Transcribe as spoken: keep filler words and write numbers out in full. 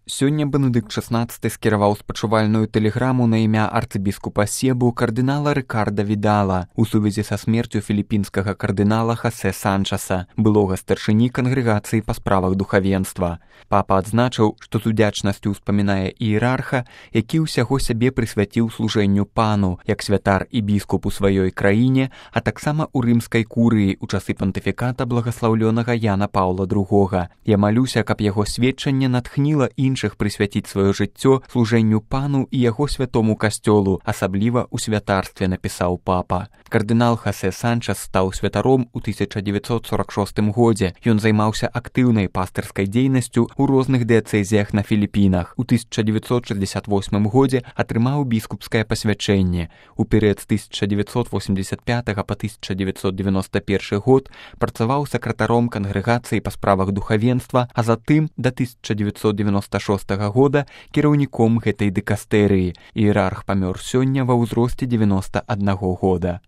Сёння Бенедыкт шаснаццаты скіраваў спачувальную тэлеграму на імя арцыбіскупа Себу кардынала Рыкарда Відала у сувязі са смерцю філіпінскага кардынала Хасе Санчаса, былога старшыні кангрэгацыі па справах духавенства. Папа адзначыў, што з удзячнасцю ўспамінае іерарха, які ўсяго сябе прысвяціў служэнню пану, як святар і біскуп у сваёй краіне, а таксама ў рымскай курыі ў часы пантыфіката благаслаўлёнага Яна Паўла другога. Я малюся, каб яго сведчанне натхніла іншых прысвяціць сваё жыццё служэнню пану і яго святому касцёлу, асабліва ў святарстве, напісаў папа. Кардынал Хасе Санчас стаў святаром у тысяча дзевяцьсот сорак шостым годзе. Ён займаўся актыўнай пастырскай дзейнасцю у розных дыяцэзіях на Філіпінах. У тысяча дзевяцьсот шэсцьдзесят восьмым годзе атрымаў біскупскае пасвячэнне. У перыяд з тысяча дзевяцьсот восемьдесят пятага па тысяча дзевяцьсот девяносто першы год працаваў сакратаром кангрэгацыі па справах духавенства, а затым да тысяча дзевяцьсот девяносто шостага года кіраўніком гэтай дыкастэрыі. Іерарх памёр сёння ва ўзросце дзевяноста аднаго года.